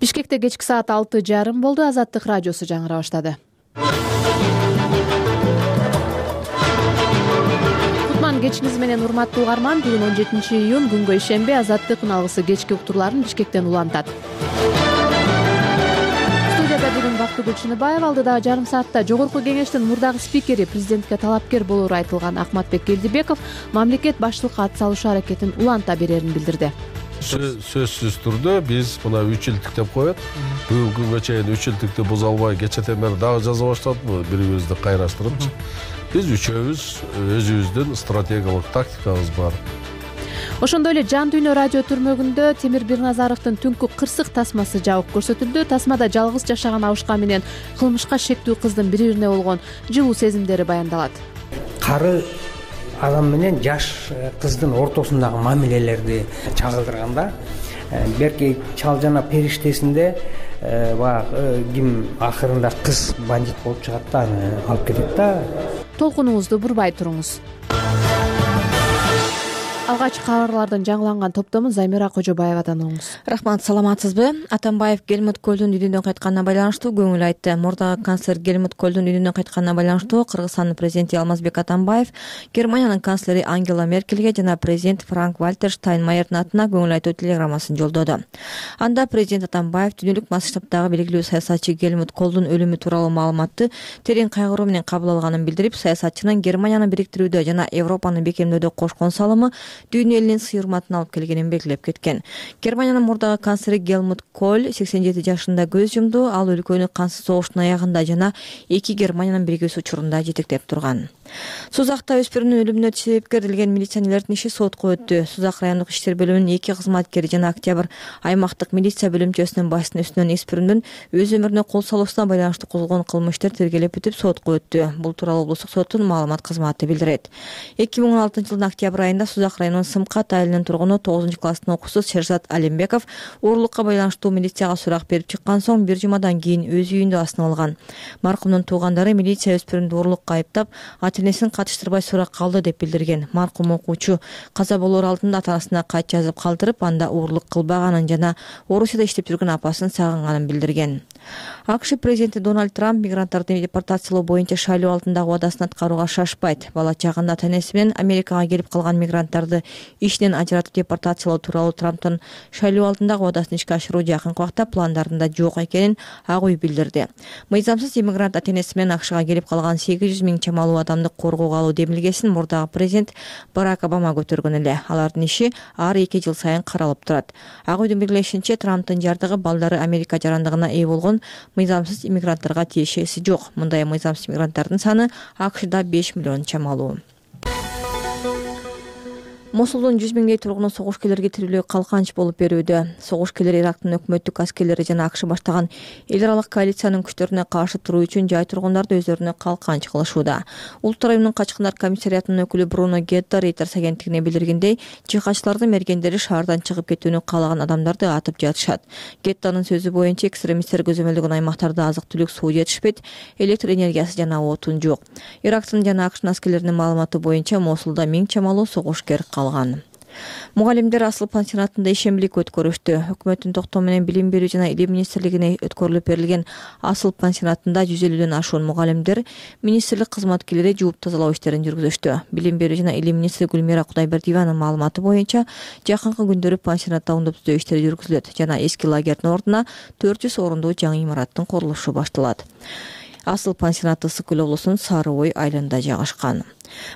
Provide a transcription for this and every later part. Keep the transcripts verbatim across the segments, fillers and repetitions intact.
Бишкекте кечки саат алты жарым болду. Азаттык радиосу жаңыра баштады. Кутман кечиңиз менен урматтуу угарман. Бүгүн он жетинчи июнь күнгө ишемби. Азаттык алгысы кечки уктурларын Бишкектен улантат. Студияда бүгүн Бактыгүл Чыныбаева, алдыдагы жарым саатта Жогорку Кеңештин мурдагы спикери, президентке талапкер болоору айтылган Акматбек Келдибеков мамлекет баштыкка ат салышуу аракетин уланта берерин билдирди. Сөзсүз түрдө биз мына үч жылдык деп коет. Бүгүнкү күнгө чейин үч жылдыкты буза албай кечетен бери дагы жаза баштадык, бири-бирибизди кайраштырыпчы. Биз үчөөбүз өзүбүздүн стратегиялык тактикабыз бар. Ошондой эле Жан дүйнө радио түрмөгүндө Темир Бирназаровдун түнкү кырсык тасмасы жабып көрсөтүлдү. Тасмада жалгыз жашаган абышка менен кылмышка шектүү кыздын бири-бирине болгон жылуу сезимдери баяндалат. Кары адам менен жаш кыздын ортосундагы мамилелерди чагылдырганда, берки чал жана периштесинде баягы ким акырында кыз бандит болуп чыгат да, аны алып кетет да. Толкунуңузду бурбай туруңуз. Алгач кабарлардын жаңыланган топтомун Займира Кожобаевадан угуңуз. Рахмат, саламатсызбы? Атамбаев Гельмут Көлдүн үйүнөн кайтканына байланыштуу көңүл айтты. Мурдагы канцлер Гельмут Көлдүн үйүнөн кайтканына байланыштуу Кыргызстандын президенти Алмазбек Атамбаев Германиянын канцлери Ангела Меркельге жана президент Франк Вальтер Штайнмайердин атына көңүл айтуу телеграммасын жолдоду. Анда президент Атамбаев дүйнөлүк масштабтагы белгилүү саясатчы Гельмут Көлдүн өлүмү тууралуу маалыматты терең кайгыруу менен кабыл алганын билдирип, саясатчынын Германияны бириктирүүдө жана Европаны бекемдөөдө кошкон салымы дүйнө элинин сый-урматын алып келгенин белгилеп кеткен. Германиянын мурдагы канцлери Гельмут Коль сексен жети жашында көз жумду. Ал өлкөнү кансыз согуштун аягында жана эки Германиянын биригүүсү учурунда жетектеп турган. Сузакта өспүрүмдүн өлүмүнө себепкер делген милиционерлердин иши сотко өттү. Сузак райондук иштер бөлүмүнүн эки кызматкери жана Октябрь аймактык милиция бөлүмчөсүнүн башчысынын үстүнөн өспүрүмдүн өз өмүрүнө кол салуусуна байланыштуу козголгон кылмыш иштер тергелеп бүтүп сотко өттү. Бул тууралуу облустук соттун маалымат кызматы билдирет. эки миң он алтынчы жылдын октябрь айында Сузак районунун Сымкат айылынын тургуну тогузунчу класстын окуучусу Шерзат Алимбеков уурулукка байланыштуу милицияга сурак берип чыккан соң бир жумадан кийин өз үйүндө асынып алган. Маркумдун туугандары милиция өспүрүмдү уурулукка айыптап, ата-энесин катыштырбай сурак калды деп билдирген. Маркум окуучу каза болоор алдында ата-анасына кат жазып калтырып, анда уурулук кылбаганын жана Орусияда иштеп жүргөн апасын сагынганын билдирген. АКШ президенти Дональд Трамп мигранттарды депортациялоо боюнча шайлоо алдындагы убадасын аткарууга шашпайт. Бала чагында ата-энеси менен Америкага келип калган мигранттарды ишинен ажыратып депортациялоо тууралуу Трамптын шайлоо алдындагы убадасын ишке ашыруу жакынкы убакта пландарында жок экенин Ак үй билдирди. Мыйзамсыз иммигрант ата-энеси менен АКШга келип калган сегиз жүз миң чамалуу адамды коргоого алуу демилгесин мурдагы президент Барак Обама көтөргөн эле. Алардын иши ар эки жыл сайын каралып турат. Ак үйдүн белгилешинче, Трамптын жардыгы балдары Америка жарандыгына ээ болгон мыйзамсыз иммигранттарга тиешеси жок. Мындай мыйзамсыз иммигранттардын саны АКШда беш миллион чамалуу. Мосулдун жүз миңдей тургуну согушкерлерге тирүүлөй калканч болуп берүүдө. Согушкерлер Ирактын өкмөттүк аскерлери жана АКШ баштаган эл аралык коалициянын күчтөрүнө каршы туруу үчүн жай тургундарды өздөрүнө калканч кылышууда. Улуттар уюмунун качкындар комиссариатынын өкүлү Бруно Гетта Reuters агенттигине билдиргендей, жихадчылардын мергендери шаардан чыгып кетүүнү каалаган адамдарды атып жатышат. Геттанын сөзү боюнча, экстремисттер көзөмөлдөгөн аймактарда азык-түлүк, суу жетишпейт, электр энергиясы жана отун жок. Ирактын жана АКШ аскерлеринин маалыматы боюнча Мосулда миң чамалуу согушкер калган. Мугалимдер Асыл пансионатында ишембилик өткөрүштү. Өкмөттүн токтому менен Билим берүү жана Илим министрлигине өткөрүлүп берилген Асыл пансионатында жүз элүүдөн ашуун мугалимдер, министрлик кызматкерлери жууп тазалоо иштерин жүргүзүштү. Билим берүү жана Илим министри Гүлмира Кудайбердиеванын маалыматы боюнча, жакынкы күндөрү пансионатта оңдоп түзөө иштери жүргүзүлөт жана эски лагердин ордуна төрт жүз орундуу жаңы имараттын курулушу башталат. Асыл пансионаты Ысык Көл облусунун Сары Ой айылында жайгашкан.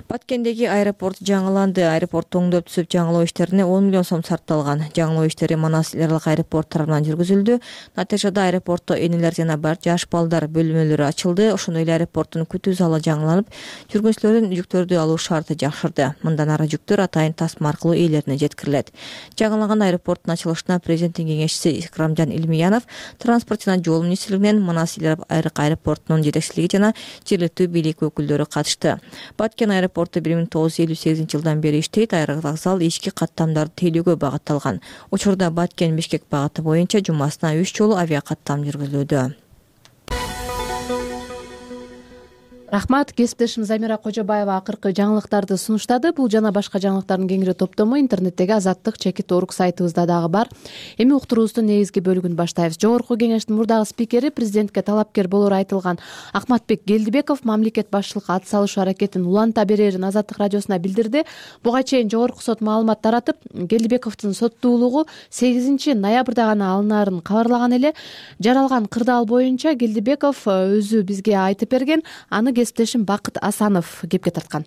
Баткендеги аэропорт жаңыланды. Аэропортту оңдоп түзүп жаңылоо иштерине он миллион сом сарпталган. Жаңылоо иштери Манас эл аралык аэропорт тарабынан жүргүзүлдү. Натыйжада аэропортто энелер жана жаш балдар бөлмөлөрү ачылды. Ошондой эле аэропорттун күтүү залы жаңыланып, жүргүнчүлөрдүн жүктөрдү алуу шарты жакшырды. Мындан ары жүктөр атайын тасма аркылуу ээлерине жеткирилет. Жаңылаган аэропорттун ачылышына президенттин кеңешчиси Икрамжан Илмиянов, транспорт жана жол министрлигинен Манас эл аралык аэропортунун жетекчилиги жана жергиликтүү бийлик өкүлдөрү катышты. Баткен аэропорту бир миң тогуз жүз элүү сегизинчи жылдан бери иштейт. Аэровокзал ички каттамдарды тейлөөгө багытталган. Учурда Баткен Бишкек багыты боюнча жумасына үч жолу авиакаттам жүргүзүлүүдө. рахмат. Кесиптешим Замира Кожобаева акыркы жаңылыктарды сунуштады. Бул жана башка жаңылыктардын кеңири топтому интернеттеги Азаттык чекит орг сайтыбызда дагы бар. Эми уктуруубуздун негизги бөлүгүн баштайбыз. Жогорку кеңештин мурдагы спикери, президентке талапкер болору айтылган Акматбек Келдибеков мамлекет башчылыкка ат салышуу аракетин уланта берерин Азаттык радиосуна билдирди. Буга чейин жогорку сот маалымат таратып, Келдибековдун соттуулугу сегизинчи ноябрда гана алынаарын кабарлаган эле. Жаралган кырдаал боюнча Келдибеков өзү бизге айтып берген. Аны кесиптешим Бакыт Асанов кепке тарткан.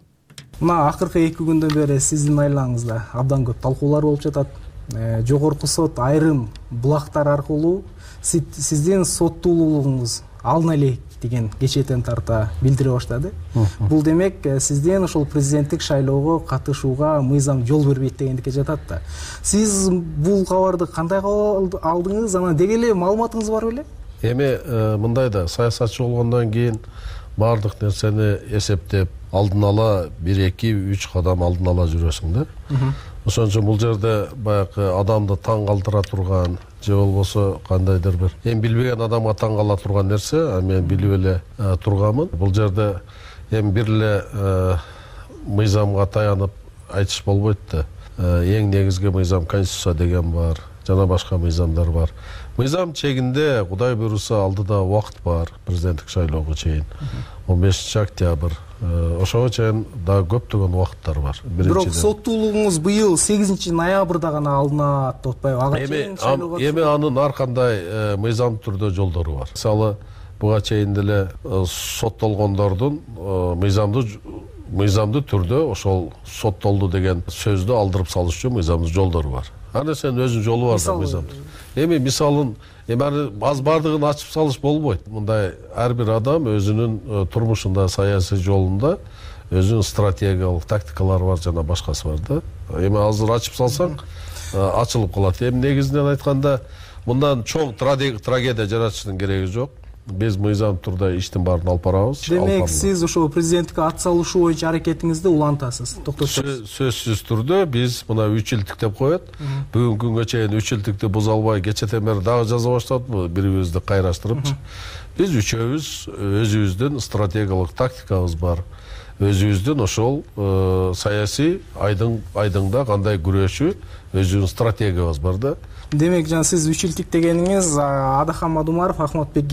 Мына акыркы эки күндөн бери сиздин айлаңызда абдан көп талкуулар болуп жатат. Жогорку сот айрым булактар аркылуу сиздин соттуулугуңуз алына элек деген кечетен тарта билдире баштады. Бул демек сиздин ошол президенттик шайлоого катышууга мыйзам жол бербейт дегендикке жатат да. Сиз бул кабарды кандай кабыл алдыңыз? Анан деги эле маалыматыңыз бар беле? Эми мындай да, саясатчы болгондон кийин баардык нерсени эсептеп, алдын ала бир эки үч кадам алдын ала жүрөсүң да. Ошон үчүн бул жерде баягы адамды таң калтыра турган же болбосо кандайдыр бир эми билбеген адамга таң кала турган нерсе, мен билип эле турганмын. Бул жерде эми бир эле мыйзамга таянып айтыш болбойт да. Эң негизги мыйзам конституция деген бар, жана башка мыйзамдар бар. Мыйзам чегинде Кудай буйруса алдыда убакыт бар, президенттик шайлоого чейин он бешинчи октябрь. Ошого чейин дагы көптөгөн убакыттар бар. Бирок соттуулугуңуз быйыл сегизинчи ноябрда гана алынат деп атпайбы? Ага чейин шайлоого эми анын ар кандай мыйзам түрдө жолдору бар. Мисалы, буга чейин деле соттолгондордун мыйзамдуу мыйзамдуу түрдө ошол соттолду деген сөздү алдырып салыш үчүн мыйзамдуу жолдору бар. Ар нерсенин өзүнүн жолу бар да мыйзамдын. Эми мисалын, эми аз бардыгын ачып салыш болбойт. Мындай ар бир адам өзүнүн турмушунда, саясий жолунда өзүнүн стратегиялык тактикалары бар, жана башкасы бар да. Эми азыр ачып салсаң, ачылып калат. Эми негизинен айтканда, мындан чоң трагедия жаратыштын кереги жок. Биз мыйзам турда иштин баарын алып барабыз. Демек, сиз ошо президенттикке ат салышуу боюнча аракетиңизди улантасыз, токтотосуз. Сөзсүз түрдө биз мына үч жылдык деп коет. Бүгүнкү күнгө чейин үч жылдыкты буза албай, кечетен бери дагы жаза баштадык, бири-бирибизди кайраштырыпчы. Биз үчөөбүз өзүбүздүн стратегиялык тактикабыз бар. Өзүбүздүн ошол саясий айдыңда кандай күрөшүү, өзүбүздүн стратегиябыз бар да. Демек, жана сиз үч жылдык дегениңиз Адахан Мадумаров, Акматбек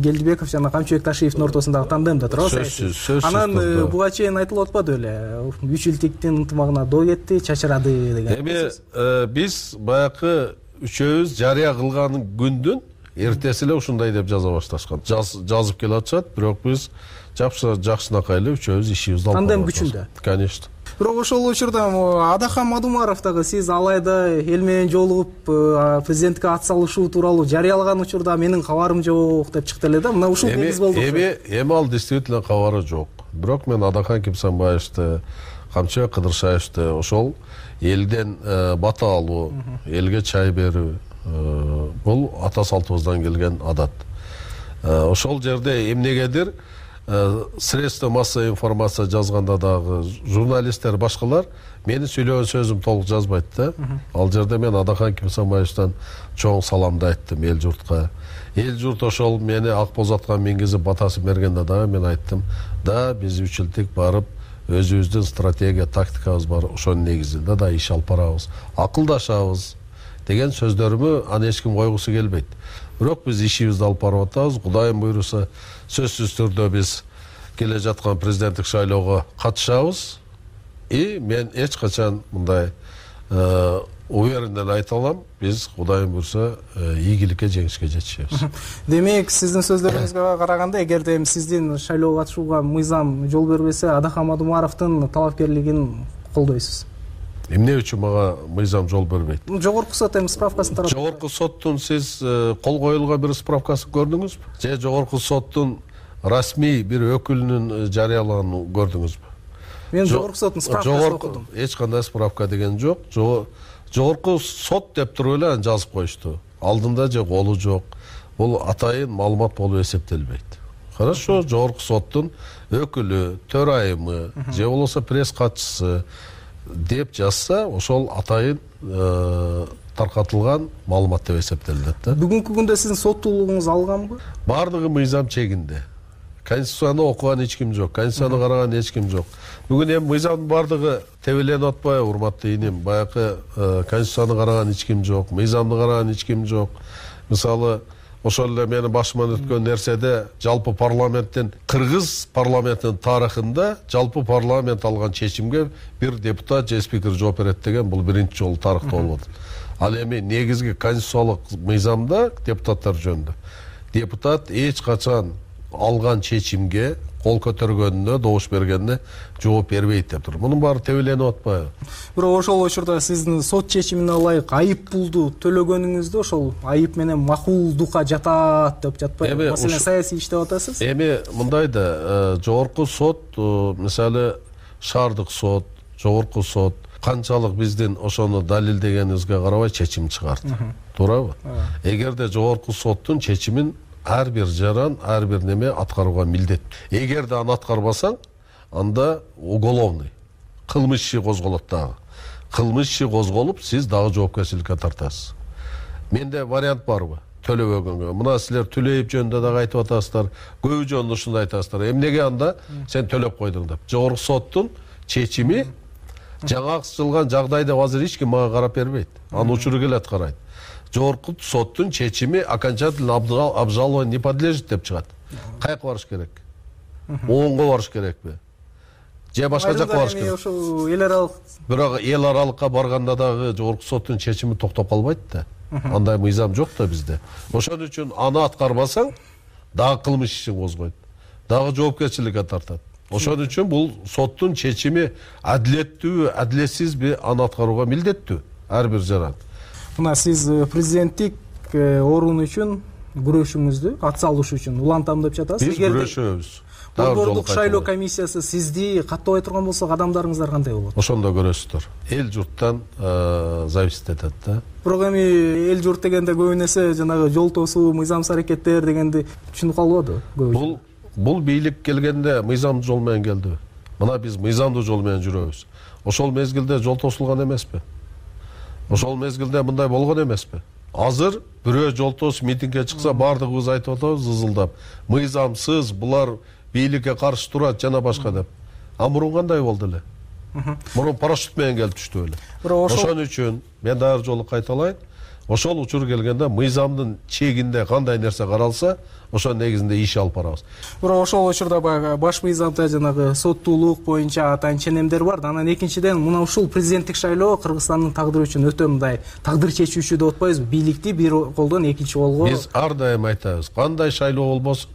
Келдибеков жана Камчыбек Ташиевдин ортосундагы тандемде турабы? Сөзсүз, сөзсүз. Анан буга чейин айтылып атпады беле? үч жылдыктын ынтымагына доо кетти, чачырады деген. Эми биз баягы үчөөбүз жарыя кылган күндүн эртеси эле ушундай деп жаза башташкан. Жазып келе атышат, бирок биз жакшынакай эле үчөөбүз ишибизди алып тандем күчүндө. Конечно. Бирок ошол учурда Адахан Мадумаров дагы сиз алайда эл менен жолугуп президенттикке ат салышуу тууралуу жарыялаган учурда менин кабарым жок деп чыкты эле да. Мына ушул негиз болду. Эми эми ал действительно кабары жок. Бирок мен Адахан Кимсанбаевди, Камчыбек Кыдыршаевди ошол элден бата алуу, элге чай берүү, бул ата салтыбыздан келген адат. Ошол жерде эмнегедир средства массовой информация жазганда дагы журналисттер башкалар менин сүйлөгөн сөзүм толук жазбайт да. Ал жерде мен Адахан Кимсанбаевден чоң саламды айттым эл журтка. Эл журт ошол мени ак боз атка мингизип батасын бергенде дагы мен айттым да, биз үч жылдык барып өзүбүздүн стратегия, тактикабыз бар, ошонун негизинде да иш алып барабыз, акылдашабыз деген сөздөрүмө аны эч ким койгусу келбейт. Бирок биз ишибизди алып барып атабыз. Кудайым буйруса, сөзсүз түрдө биз келе жаткан президенттик шайлоого катышабыз. И мен эч качан мындай увереннен айта алам, биз Кудайым буйруса ийгиликке, жеңишке жетишебиз. Демек, сиздин сөздөрүңүзгө караганда, эгерде сиздин шайлоого катышууга мыйзам жол бербесе, Адахан Мадумаровдун талапкерлигин колдойсуз. Эмне үчүн мага мыйзам жол бербейт? Жогорку сот эми справкасын таратты. Жогорку соттун сиз кол коюлган бир справкасын көрдүңүзбү? Же жогорку соттун расмий бир өкүлүнүн жарыялаганын көрдүңүзбү? Мен жогорку соттун справкасын окудум. Эч кандай справка деген жок. Жогорку сот деп туруп эле жазып коюшту. Алдында же колу жок. Бул атайын маалымат болуп эсептелбейт. Хорошо, жогорку соттун өкүлү, төрайымы, же болбосо пресс катчысы деп жазса, ошол атайын таркатылган маалымат деп эсептелет да. Бүгүнкү күндө сиздин соттуулугуңуз алганбы? Бардыгы мыйзам чегинде. конституцияны окуган эч ким жок, конституцияны караган эч ким жок. Бүгүн эми мыйзамдын баардыгы тебеленип атпайбы, урматтуу иним? Баягы конституцияны караган эч ким жок, мыйзамды караган эч ким жок. Мисалы, ошол эле менин башыман өткөн нерседе жалпы парламенттин, кыргыз парламентинин тарыхында жалпы парламент алган чечимге бир депутат же спикер жооп берет деген бул биринчи жолу тарыхта болуп атат. Ал эми негизги конституциялык мыйзамда депутаттар жөнүндө депутат эч качан алган чечимге кол көтөргөнүнө, добуш бергенине жооп бербейт деп тур. Мунун баары тебеленип атпайбы? Бирок ошол учурда сиздин сот чечимине ылайык айып пулду төлөгөнүңүздө ошол айып менен макулдукка жатат деп жатпайбы? Маселен, саясий иштеп атасыз. Эми мындай да, жогорку сот, мисалы шаардык сот, жогорку сот канчалык биздин ошону далилдегенибизге карабай чечим чыгарды. Туурабы? Эгерде жогорку соттун чечимин ар бир жаран, ар бир неме аткарууга милдет. Эгерде аны аткарбасаң, анда уголовный кылмыш иши козголот дагы. Кылмыш иши козголуп, сиз дагы жоопкерчиликке тартасыз. Менде вариант барбы? Төлөбөгөнгө. Мына силер төлөйүп жөнүндө дагы айтып атасыздар, көбү жөнүндө ушундай айтасыздар. Эмнеге анда сен төлөп койдуң деп. Жогорку соттун чечими жаңа чыгылган жагдайда азыр эч ким мага карап бербейт. Аны учуру келет карайт. Жогорку соттун чечими окончательно обжалованию не подлежит деп чыгат. Каяка барыш керек? Оңго барыш керекпи? Же башка жакка барыш керек? Ошол эл аралык. Бирок эл аралыкка барганда дагы жогорку соттун чечими токтоп калбайт да. Андай мыйзам жок да бизде. Ошон үчүн аны аткарбасаң, дагы кылмыш ишин козгойт. Дагы жоопкерчиликке тартат. Ошон үчүн бул соттун чечими адилеттүүбү, адилетсизби, аны аткарууга милдеттүү ар бир жаран. Мына сиз президенттик орун үчүн күрөшүңүздү ат салыш үчүн улантам деп жатасыз. Биз күрөшөбүз. Борбордук шайлоо комиссиясы сизди каттабай турган болсо, адамдарыңыздар кандай болот? Ошондо көрөсүздөр. Эл журттан зависит этет да. Бирок эми эл журт дегенде көбүн эсе жанагы жол тосуу, мыйзамсыз аракеттер дегенди түшүнүп калбадыбы? Бул бул бийлик келгенде мыйзамдуу жол менен келдиби? Мына биз мыйзамдуу жол менен жүрөбүз. Ошол мезгилде жол тосулган эмеспи? Ошол мезгилде мындай болгон эмеспи? Азыр бирөө жол тосуп митингге чыкса, баардыгыбыз айтып атабыз ызылдап, мыйзамсыз, булар бийликке каршы турат жана башка деп. А мурун кандай болду эле? Мурун парашют менен келип түштү эле. Ошон үчүн мен дагы жолу кайталайын. Ошол учур келгенде мыйзамдын чегинде кандай нерсе каралса, ошонун негизинде иш алып барабыз. Бирок ошол учурда баягы баш мыйзамда жанагы соттуулук боюнча атайын ченемдер бар. Анан экинчиден мына ушул президенттик шайлоо Кыргызстандын тагдыры үчүн өтө мындай тагдыр чечүүчү деп атпайбызбы? Бийликти бир колдон экинчи колго. Биз ар дайым айтабыз, кандай шайлоо болбосун,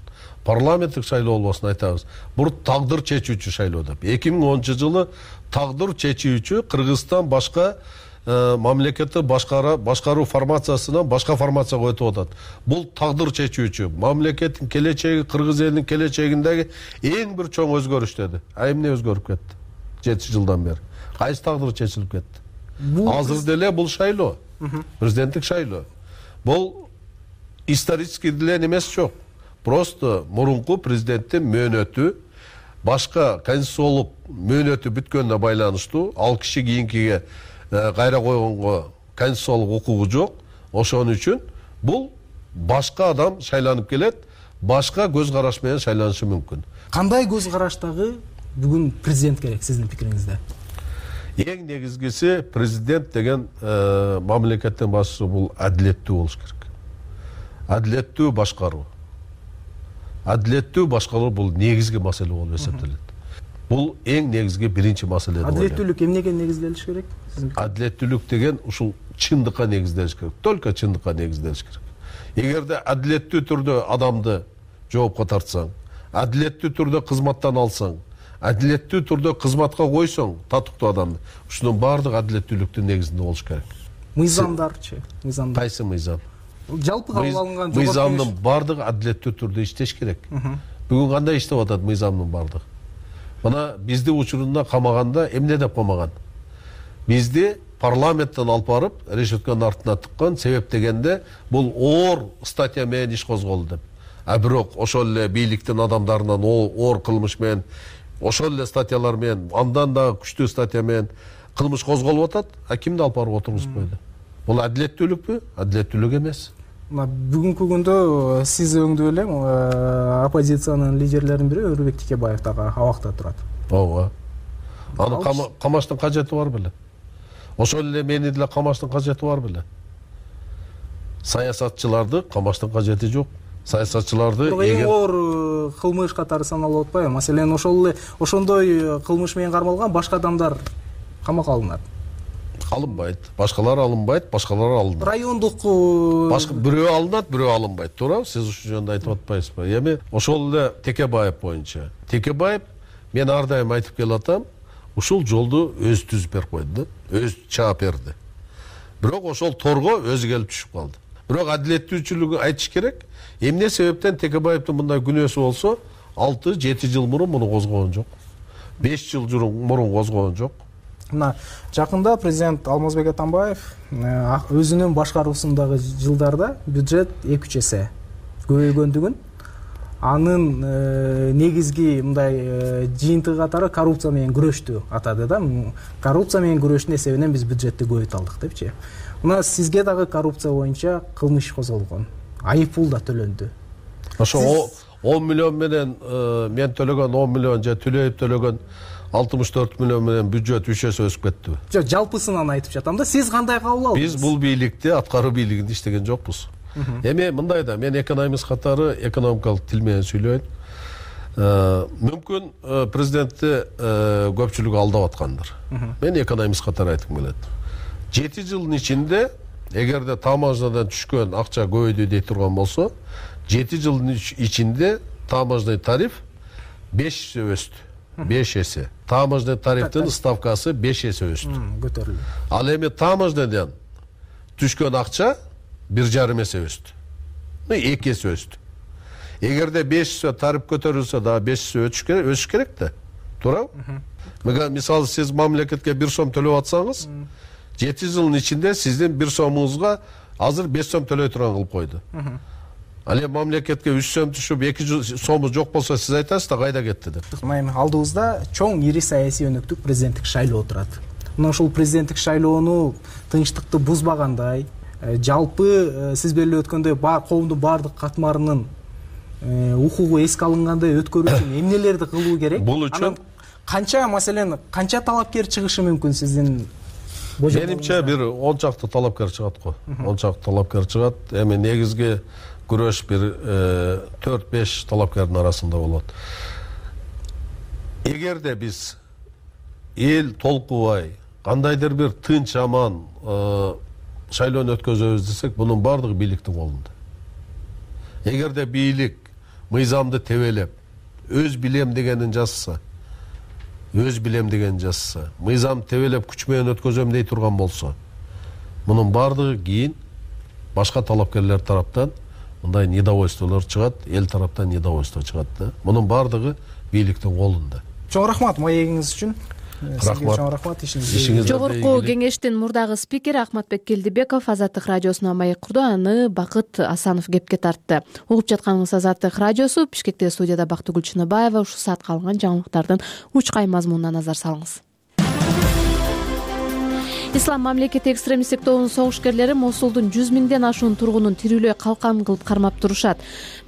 парламенттик шайлоо болбосун айтабыз. Бул тагдыр чечүүчү шайлоо деп. эки миң онунчу жылы тагдыр чечүүчү Кыргызстан башка мамлекетти башкара башкаруу формациясынан башка формацияга өтүп атат. Бул тагдыр чечүүчү мамлекеттин келечеги, кыргыз элинин келечегиндеги эң бир чоң өзгөрүш деди. А эмне өзгөрүп кетти? жети жылдан бери кайсы тагдыр чечилип кетти? Азыр деле бул шайлоо, президенттик шайлоо. Бул исторический деле эмес жок. Просто мурунку президенттин мөөнөтү башка конституциялык мөөнөтү бүткөнүнө байланыштуу, ал киши кийинкиге кайра койгонго конституциялык укугу жок. Ошон үчүн бул башка адам шайланып келет, башка көз караш менен шайланышы мүмкүн. Кандай көз караштагы бүгүн президент керек сиздин пикириңизде? Эң негизгиси президент деген мамлекеттин башчысы бул адилеттүү болуш керек. Адилеттүү башкаруу. Адилеттүү башкаруу бул негизги маселе болуп эсептелет. Бул эң негизги биринчи маселе. Адилеттүүлүк эмнеге негизделиш керек? Адилеттүүлүк деген ушул чындыкка негизделиш керек. Только чындыкка негизделиш керек. Эгерде адилеттүү түрдө адамды жоопко тартсаң, адилеттүү түрдө кызматтан алсаң, адилеттүү түрдө кызматка койсоң татыктуу адамды, ушунун баардыгы адилеттүүлүктүн негизинде болуш керек. Мыйзамдарчы? Мыйзамдар. Кайсы мыйзам? Жалпы кабыл алынган мыйзамдын баардыгы адилеттүү түрдө иштеш керек. Бүгүн кандай иштеп атат мыйзамдын баардыгы? Мына бизди учурунда камаганда эмне деп камаган? Бизди парламенттен алып барып, решетканын артына тыккан, себеп дегенде бул оор статья менен иш козголду деп. А бирок ошол эле бийликтин адамдарынан оор кылмыш менен, ошол эле статьялар менен, андан да күчтүү статья менен кылмыш козголуп атат, а кимди алып барып отургузуп койду? Бул адилеттүүлүкпү? Адилеттүүлүк эмес. мына бүгүнкү күндө сиз өңдүп эле оппозициянын лидерлеринин бири Өрүбек Текебаев дагы абакта турат. ооба аны камаштын кажети бар беле? Ошол эле мени деле камаштын кажети бар беле? Саясатчыларды камаштын кажети жок. Саясатчыларды эң оор кылмыш катары саналып атпайбы? Маселен, ошол эле ошондой кылмыш менен кармалган башка адамдар камакка алынат. Алынбайт. Башкалар алынбайт, башкалар алынат. Райондук башка бирөө алынат, бирөө алынбайт. Туура? Сиз ушул жөнүндө айтып атпайсызбы? Эми ошол эле Текебаев боюнча. Текебаев мен ар дайым айтып келатам, ушул жолду өзү түзүп берип койду да, өзү чаап берди. Бирок ошол торго өзү келип түшүп калды. Бирок адилеттүүлчүлүгү айтыш керек. Эмне себептен Текебаевдин мындай күнөөсү болсо, алты жети жыл мурун муну козгогон жок. беш жыл мурун козгогон жок. Мына жакында президент Алмазбек Атамбаев өзүнүн башкаруусундагы жылдарда бюджет эки үч эсе көбөйгөндүгүн, анын негизги мындай жыйынтыгы катары коррупция менен күрөштү атады да. Коррупция менен күрөштүн эсебинен биз бюджетти көбөйтө алдык депчи. Мына сизге дагы коррупция боюнча кылмыш козголгон, айып пул да төлөндү. Ошо он миллион менен мен төлөгөн он миллион же Түлөев төлөгөн алтымыш төрт миллион менен бюджет үч эсе өсүп кеттиби? Жок, жалпысынан айтып жатам да. Сиз кандай кабыл алдыңыз? Биз бул бийликте аткаруу бийлигинде иштеген жокпуз. Эми мындай да, мен экономист катары экономикалык тил менен сүйлөйм. Мүмкүн президентти көпчүлүк алдап аткандыр. Мен экономист катары айткым келет. жети жылдын ичинде эгерде таможнядан түшкөн акча көбөйдү дей турган болсо, жети жылдын ичинде таможный тариф беш эсе өстү. беш эсе. Таможный тарифтин ставкасы беш эсе өстү. Көтөрүлдү. Ал эми таможнядан түшкөн акча бир жарым эсе өстү. эки эсе өстү. Эгерде беш эсе тариф көтөрүлсө да беш эсе өсүш керек да. Туурабы? Мисалы сиз мамлекетке бир сом төлөп атсаңыз, жети жылдын ичинде сиздин бир сомуңузга азыр беш сом төлөй турган кылып койду. Ал эми мамлекетке үч сом түшүп эки сому жок болсо сиз айтасыз да кайда кетти деп. Эми алдыбызда чоң ири саясий өнөктүк президенттик шайлоо турат. Мына ушул президенттик шайлоону тынчтыкты бузбагандай, жалпы сиз белгилеп өткөндөй коомдун баардык катмарынын укугу эске алынгандай өткөрүү үчүн эмнелерди кылуу керек? Бул үчүн канча, маселен, канча талапкер чыгышы мүмкүн сиздин? Менимче бир он чакты талапкер чыгат го. он чакты талапкер чыгат. Эми негизги күрөш бир төрт беш талапкердин арасында болот. Эгерде биз эл толкубай, кандайдыр бир тынч аман шайлоону өткөзөбүз десек, бунун баардыгы бийликтин колунда. Эгерде бийлик мыйзамды тебелеп, өз билем дегенин жазса, өз билем дегенин жазса, мыйзам тебелеп күч менен өткөзөм дей турган болсо, мунун баардыгы кийин башка талапкерлер тараптан мындай недовольстволор чыгат, эл тараптан недовольство чыгат да. Мунун баардыгы бийликтин колунда. Чоң рахмат маегиңиз үчүн. Рахмат. Чоң рахмат ишиңизге. Жогорку кеңештин мурдагы спикери Ахматбек Келдибеков Азаттык радиосуна маек курду, аны Бакыт Асанов кепке тартты. Угуп жатканыңыз Азаттык радиосу. Бишкекте студияда Бактыгүл Чыныбаева. Ушул саатка алынган жаңылыктардын учкай мазмунуна назар салыңыз. Ислам мамлекети экстремисттик тобунун согушкерлери Мосулдун жүз миңден ашуун тургунун тирүүлөй калкан кылып кармап турушат.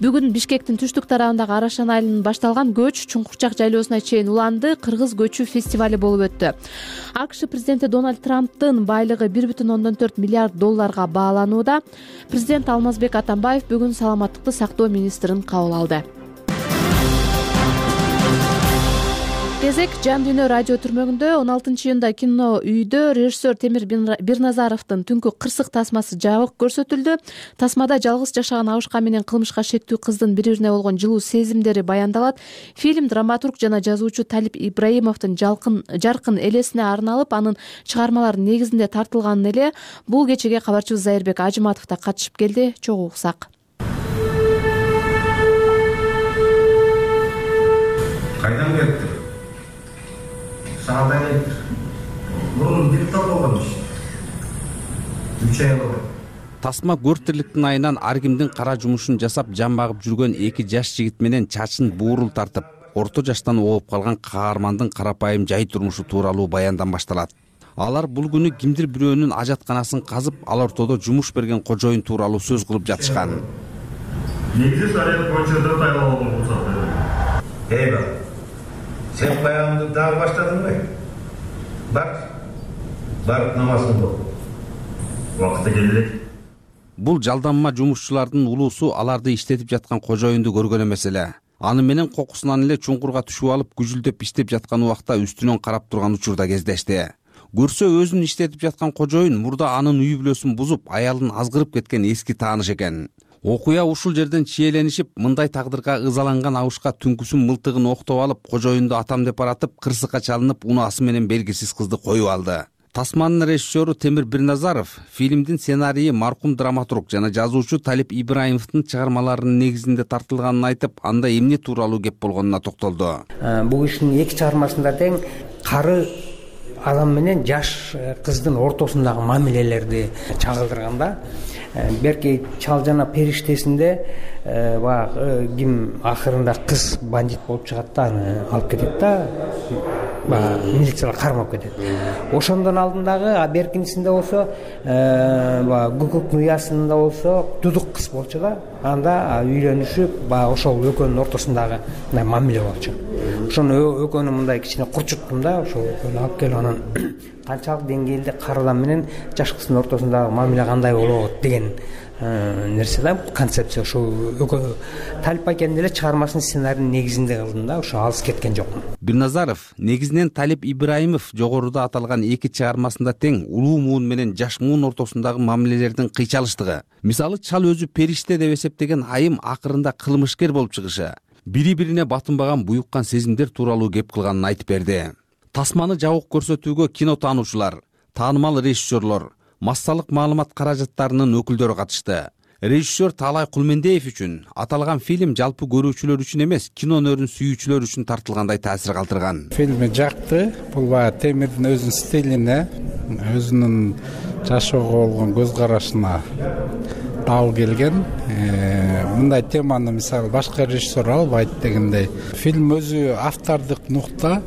Бүгүн Бишкектин түштүк тарабындагы Арашан айылынан башталган көч Чуңкурчак жайлоосуна чейин уланды. Кыргыз көчү фестивали болуп өттү. АКШ президенти Дональд Трамптын байлыгы бир бүтүн ондон төрт миллиард долларга бааланууда. Президент Алмазбек Атамбаев бүгүн саламаттыкты сактоо министрин кабыл алды. Кезек Жан дүйнө радио түрмөгүндө он алтынчы июнда кино үйдө режиссер Темир Бирназаровдун түнкү кырсык тасмасы жабык көрсөтүлдү. Тасмада жалгыз жашаган абышка менен кылмышка шектүү кыздын бири-бирине болгон жылуу сезимдери баяндалат. Фильм драматург жана жазуучу Талип Ибраимовдун жалкын жаркын элесине арналып, анын чыгармаларынын негизинде тартылган эле. Бул кечеге кабарчыбыз Зайырбек Ажыматов да катышып келди. Чогуу уксак. Кайдан келиптир? Саат электр. Мурун диктор болгонмуш. үч ай болду. Тасма көртүрлүктүн айынан ар кимдин кара жумушун жасап жан багып жүргөн эки жаш жигит менен чачын буурул тартып, орто жаштан ооп калган каармандын карапайым жай турмушу тууралуу баяндан башталат. Алар бул күнү кимдир бирөөнүн ажатканасын казып, ал ортодо жумуш берген кожоюн тууралуу сөз кылып жатышкан. Негизи шарият боюнча да тайлоо болсо. Эй бала, сен баягынды дагы баштадыңбы? Бар, барып намазыңды оку. Убакыты келди. Бул жалданма жумушчулардын улуусу аларды иштетип жаткан кожоюнду көргөн эмес эле. Аны менен кокусунан эле чуңкурга түшүп алып, күжүлдөп иштеп жаткан убакта үстүнөн карап турган учурда кездешти. Көрсө өзүн иштетип жаткан кожоюн мурда анын үй бүлөсүн бузуп, аялын азгырып кеткен эски тааныш экен. Окуя ушул жерден чиеленишип, мындай тагдырга ызаланган Абышка түнкүсүн мылтыгын октоп алып, кожоюнду атам деп баратып, кырсыкка чалынып, унаасы менен белгисиз кызды коюп алды. Тасманын режиссеру Темир Бирназаров фильмдин сценарийи маркум драматург жана жазуучу Талип Ибраимовдун чыгармаларынын негизинде тартылганын айтып, анда эмне тууралуу кеп болгонуна токтолду. Бул кишинин эки чыгармасында тең кары адам менен жаш кыздын ортосундагы мамилелерди чагылдырганда, берки Чал жана периштесинде баягы ким акырында кыз бандит болуп чыгат да, аны алып кетет да, баягы милициялар кармап кетет. Ошондон алдындагы, а беркинчисинде болсо, баягы Гукук Нуясында болсо дудук кыз болчу да, анда үйлөнүшүп, баягы ошол экөөнүн ортосундагы мындай мамиле болчу. Ошону экөөнү мындай кичине курчуттум да, ошол экөөнү алып келип анан канчалык деңгээлде кары адам менен жаш кыздын ортосундагы мамиле кандай болот деген нерсе да, концепция. Ошо экөө Талип акенин эле чыгармасынын сценарийинин негизинде кылдым да, ошо алыс кеткен жокмун. Бирназаров негизинен Талип Ибраимов жогоруда аталган эки чыгармасында тең улуу муун менен жаш муун ортосундагы мамилелердин кыйчалыштыгы. Мисалы, Чал өзү периште деп эсептеген айым акырында кылмышкер болуп чыгышы, бири-бирине батынбаган буюккан сезимдер тууралуу кеп кылганын айтып берди. Тасманы жабык көрсөтүүгө кино таануучулар, таанымал режиссерлор, массалык маалымат каражаттарынын өкүлдөрү катышты. Режиссер Таалай Кулмендеев үчүн аталган фильм жалпы көрүүчүлөр үчүн эмес, кино өнөрүн сүйүүчүлөр үчүн тартылгандай таасир калтырган. Фильми жакты. Бул баягы Темирдин өзүнүн стилине, өзүнүн жашоого болгон көз карашына табыл келген. Мындай теманы мисалы башка режиссер албайт дегендей. Фильм өзү автордук нукта,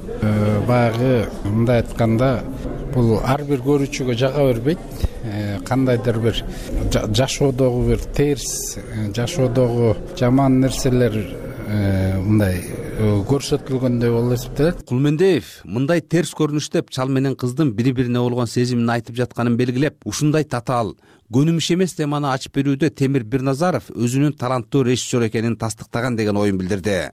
баягы мындай айтканда, бул ар бир көрүүчүгө жага бербейт. Кандайдыр бир жашоодогу бир терс, жашоодогу жаман нерселер мындай көрсөтүлгөндөй болуп эсептелет. Кулмендеев мындай терс көрүнүштөп Чал менен кыздын бири-бирине болгон сезимин айтып жатканын белгилеп, ушундай татаал, көнүмүш эмес теманы ачып берүүдө Темир Бирназаров өзүнүн таланттуу режиссер экенин тастыктаган деген оюн билдирди.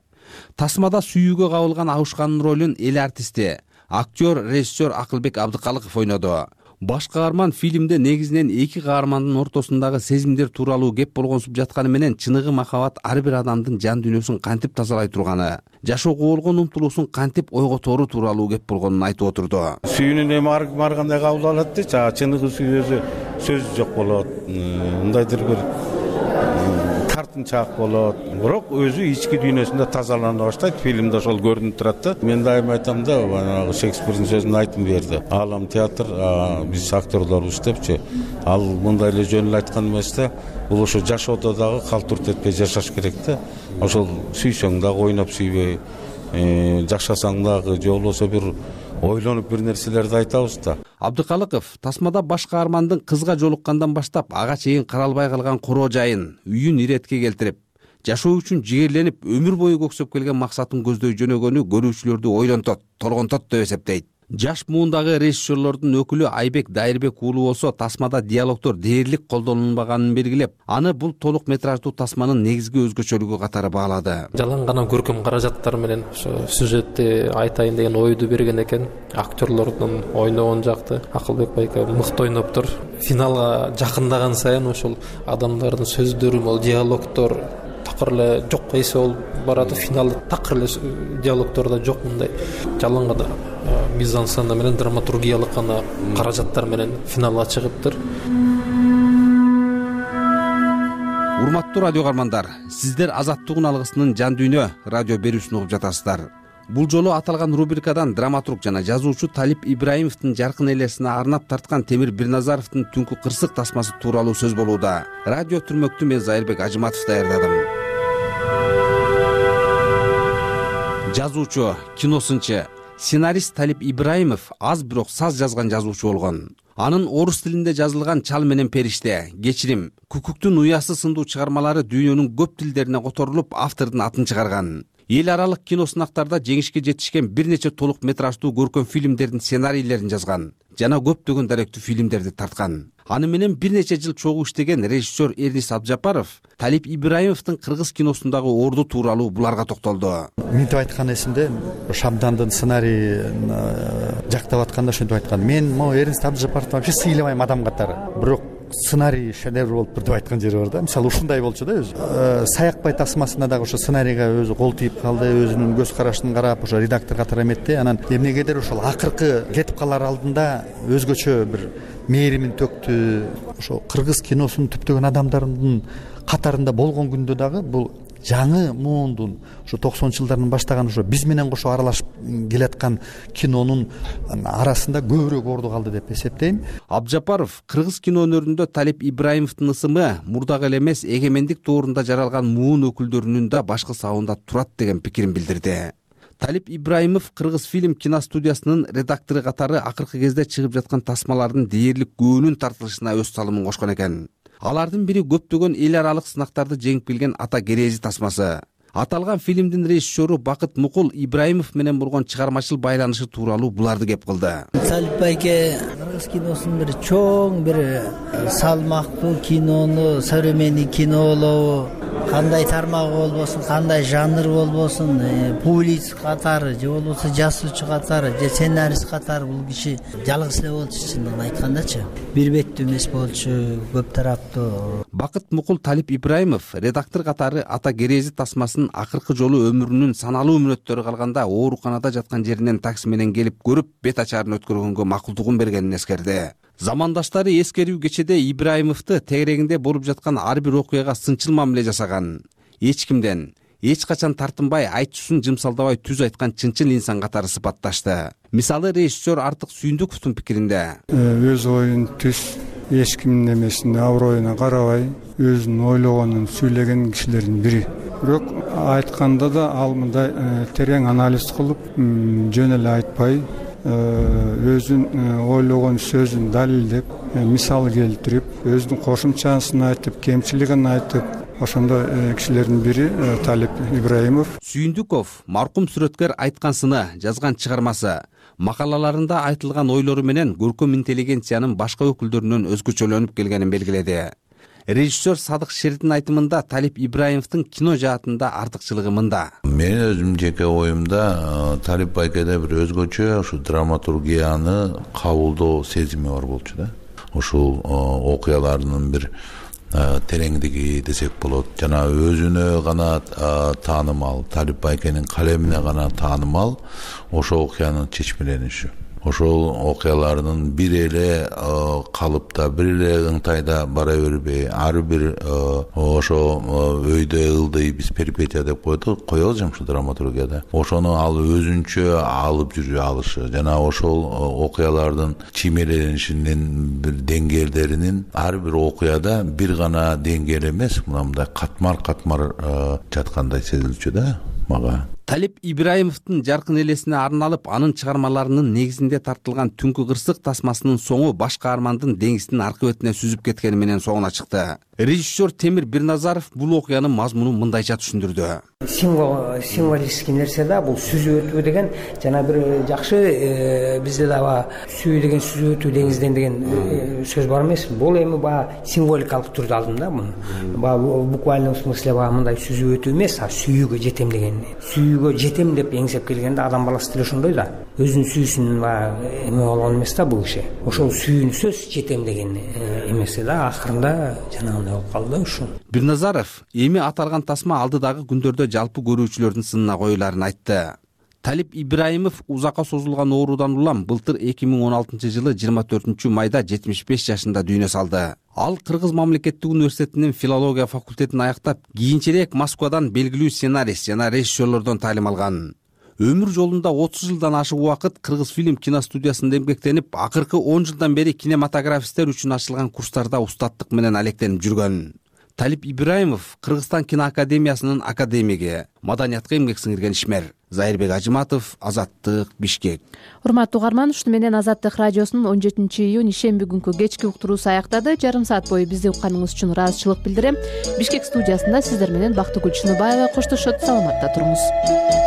Тасмада сүйүүгө кабылган Абышканын ролун эл артисти, актер, режиссер Акылбек Абдыкалыков ойноду. Баш каарман фильмде негизинен эки каармандын ортосундагы сезимдер тууралуу кеп болгонсуп жатканы менен чыныгы махабат ар бир адамдын жан дүйнөсүн кантип тазалай турганы, жашоого болгон умтулуусун кантип ойготору тууралуу кеп болгонун айтып отурду. Сүйүүнүн эми ар кандай кабыл алат дейчи, чыныгы сүйүүсү сөз жок болот, мындайдыр бир тартынчаак болот, бирок өзү ички дүйнөсүндө тазалана баштайт. Фильмде ошол көрүнүп турат да. Мен дайыма айтам да, баягы Шекспирдин сөзүн айтып берди. Аалам театр, биз актерлорбуз депчи. Ал мындай эле жөн эле айткан эмес да. Бул ошо жашоодо дагы калтурт этпей жашаш керек да. Ошол сүйсөң дагы ойноп сүйбөй, жашасаң дагы же болбосо бир ойлонуп бир нерселерди айтабыз да. Абдыкалыков тасмада баш каармандын кызга жолуккандан баштап ага чейин каралбай калган короо жайын, үйүн иретке келтирип, жашоо үчүн жигерленип, өмүр бою көксөп келген максатын көздөй жөнөгөнү көрүүчүлөрдү ойлонтот, толгонтот деп эсептейт. Жаш муундагы режиссерлордун өкүлү Айбек Дайырбек уулу болсо тасмада диалогдор дээрлик колдонулбаганын белгилеп, аны бул толук метраждуу тасманын негизги өзгөчөлүгү катары баалады. Жалаң гана көркөм каражаттар менен ошо сюжетти айтайын деген ойду берген экен. Актерлордун ойногон жакты Акылбек байка мыкты ойноптур. Финалга жакындаган сайын ошол адамдардын сөздөрү, могу диалогдор такыр эле жок эсе болуп барат. Финалда такыр эле диалогдордо жок, мындай жалаң гана мизансцена менен драматургиялык гана каражаттар менен финалга чыгыптыр. Урматтуу радио каармандар, сиздер Азаттыгын алгысынын жан дүйнө радио берүүсүн угуп жатасыздар. Бул жолу аталган рубрикадан драматург жана жазуучу Талип Ибраимовдун жаркын элесине арнап тарткан Темир Бирназаровдун Түнкү кырсык тасмасы тууралуу сөз болууда. Радио түрмөктү мен Зайырбек Ажыматов даярдадым. Жазуучу, киносынчы, Сценарист Талип Ибраимов аз бирок саз жазган жазуучу болгон. Анын орус тилинде жазылган Чал менен периште, Кечирим, Күкүктүн уясы сындуу чыгармалары дүйнөнүн көп тилдерине которулуп, автордун атын чыгарган. Эл аралык кино сынактарда жеңишке жетишкен бир нече толук метраждуу көркөм фильмдердин сценарийлерин жазган жана көптөгөн даректүү фильмдерди тарткан. Аны менен бир нече жыл чогуу иштеген режиссер Эрнис Абжапаров Талип Ибраимовдун кыргыз киносундагы орду тууралуу буларга токтолду. Мынтип айткан эсимде, Шабдандын сценарийин жактап атканда ошентип айткан. Мен могу Эрнис Абжапаровду вообще сыйламайм адам катары. Бирок сценарий шедевр болуп тур деп айткан жери бар да. Мисалы ушундай болчу да өзү. Саякбай тасмасында дагы ошо сценарийге өзү кол тийип калды, өзүнүн көз карашын карап, ошо редактор катары эметти. Анан эмнегедир ошол акыркы кетип калар алдында өзгөчө бир мээримин төктү. Ошо кыргыз киносунун түптөгөн адамдарынын катарында болгон күндө дагы бул жаңы муундун ошо токсонунчу жылдардын баштаган ошо биз менен кошо аралашып келаткан кинонун арасында көбүрөөк орду калды деп эсептейм. Абжапаров кыргыз кино өнөрүндө Талип Ибраимовдун ысымы мурдагы эле эмес, эгемендик доорунда жаралган муун өкүлдөрүнүн да башкы сабында турат деген пикирин билдирди. Талип Ибраимов Кыргыз фильм киностудиясынын редактору катары акыркы кезде чыгып жаткан тасмалардын дээрлик көбүнүн тартылышына өз салымын кошкон экен. Алардын бири көптөгөн эл аралык сынактарды жеңип келген Ата Керези тасмасы. Аталган фильмдин режиссеру Бакыт Мукул Ибраимов менен болгон чыгармачыл байланышы тууралуу буларды кеп кылды. Талип байке кыргыз киносунун бир чоң бир салмактуу кинону, современный кинолобу, кандай тармагы болбосун, кандай жанр болбосун, публицист катары же болбосо жазуучу катары же сценарист катары бул киши жалгыз эле болчу, чындыгын айткандачы. Бир беттүү эмес болчу, көп тараптуу. Бакыт Мукул Талип Ибраимов редактор катары Ата Керези тасмасын акыркы жолу өмүрүнүн саналуу мүнөттөрү калганда ооруканада жаткан жеринен такси менен келип көрүп, бет ачарын өткөргөнгө макулдугун бергенин эскерди. Замандаштары эскерүү кечеде Ибраимовду тегерегинде болуп жаткан ар бир окуяга сынчыл мамиле жасаган. Эч кимден, эч качан тартынбай, айтчусун жымсалдабай түз айткан чынчыл инсан катары сыпатташты. Мисалы режиссер Артык Сүйүндүковдун пикиринде, өз оюн түз эч кимдин эмесине аброюна карабай, өзүнүн ойлогонун сүйлөгөн кишилердин бири. Бирок айтканда да ал мындай терең анализ кылып, жөн эле айтпай, өзүн ойлогон сөзүн далилдеп, мисал келтирип, өзүнүн кошумчасын айтып, кемчилигин айтып, ошондой кишилердин бири Талип Ибраимов. Сүйүндүков маркум сүрөткөр айткансыны жазган чыгармасы, макалаларында айтылган ойлору менен көркөм интеллигенциянын башка өкүлдөрүнөн өзгөчөлөнүп келгенин белгиледи. Режиссер Садык Шердин айтымында Талип Ибраимовдун кино жаатында артыкчылыгы мында. Мен өзүм жеке оюмда Талип байкеде бир өзгөчө ушу драматургияны кабылдоо сезими бар болчу да. Ушул окуялардын бир тереңдиги десек болот. Жана өзүнө гана таанымал, Талип байкенин калемине гана таанымал ошол окуянын чечмелениши. Ошол окуялардын бир эле калыпта, бир эле ыңтайда бара бербей, ар бир ошо өйдө ылдый биз перипетия деп койдук, кое алжам ушу драматургияда. Ошону ал өзүнчө алып жүрө алышы жана ошол окуялардын чиймеленишинин бир деңгээлдеринин ар бир окуяда бир гана деңгээл эмес, мындай катмар-катмар жаткандай сезилчү да мага. Талип Ибраимовдун жаркын элесине арналып, анын чыгармаларынын негизинде тартылган Түнкү кырсык тасмасынын соңу баш каармандын деңиздин аркы бетине сүзүп кеткени менен соңуна чыкты. Режиссер Темир Бирназаров бул окуянын мазмунун мындайча түшүндүрдү. Символ, символистик нерсе да, бул сүзүп өтүү деген жана бир жакшы бизде дагы сүйүү деген сүзүп өтүү деңизден деген сөз бар эмес. Бул эми баягы символикалык түрдө алдым да муну. Баягы буквальный смысле баягы мындай сүзүп өтүү эмес, а сүйүүгө жетем деген. Сүйүүгө жетем деп эңсеп келгенде адам баласы деле ошондой да. Өзүнүн сүйүүсүн баягы эме болгон эмес да бул киши. Ошол сүйүүнү сөз жетем деген эмеси да акырында жанагындай болуп калды ушу. Бирназаров эми аталган тасма алдыдагы күндөрдө жалпы көрүүчүлөрдүн сынына коюларын айтты. Талип Ибраимов узакка созулган оорудан улам былтыр эки миң он алтынчы жылы жыйырма төртүнчү майда жетимиш беш жашында дүйнө салды. Ал Кыргыз мамлекеттик университетинин филология факультетин аяктап, кийинчерээк Москвадан белгилүү сценарист жана режиссерлордон таалим алган. Өмүр жолунда отуз жылдан ашык убакыт Кыргыз фильм киностудиясында эмгектенип, акыркы он жылдан бери кинематографисттер үчүн ачылган курстарда устаттык менен алектенип жүргөн. Талип Ибраимов Кыргызстан киноакадемиясынын академиги, маданиятка эмгек сиңирген ишмер. Зайырбек Ажыматов, Азаттык, Бишкек. Урматтуу угарман, ушуну менен Азаттык радиосунун он жетинчи июнь ишемби күнкү кечки уктуруусу аяктады. Жарым саат бою бизди укканыңыз үчүн ыраазычылык билдирем. Бишкек студиясында сиздер менен Бактыгүл Чыныбаева коштошот. Саламатта туруңуз.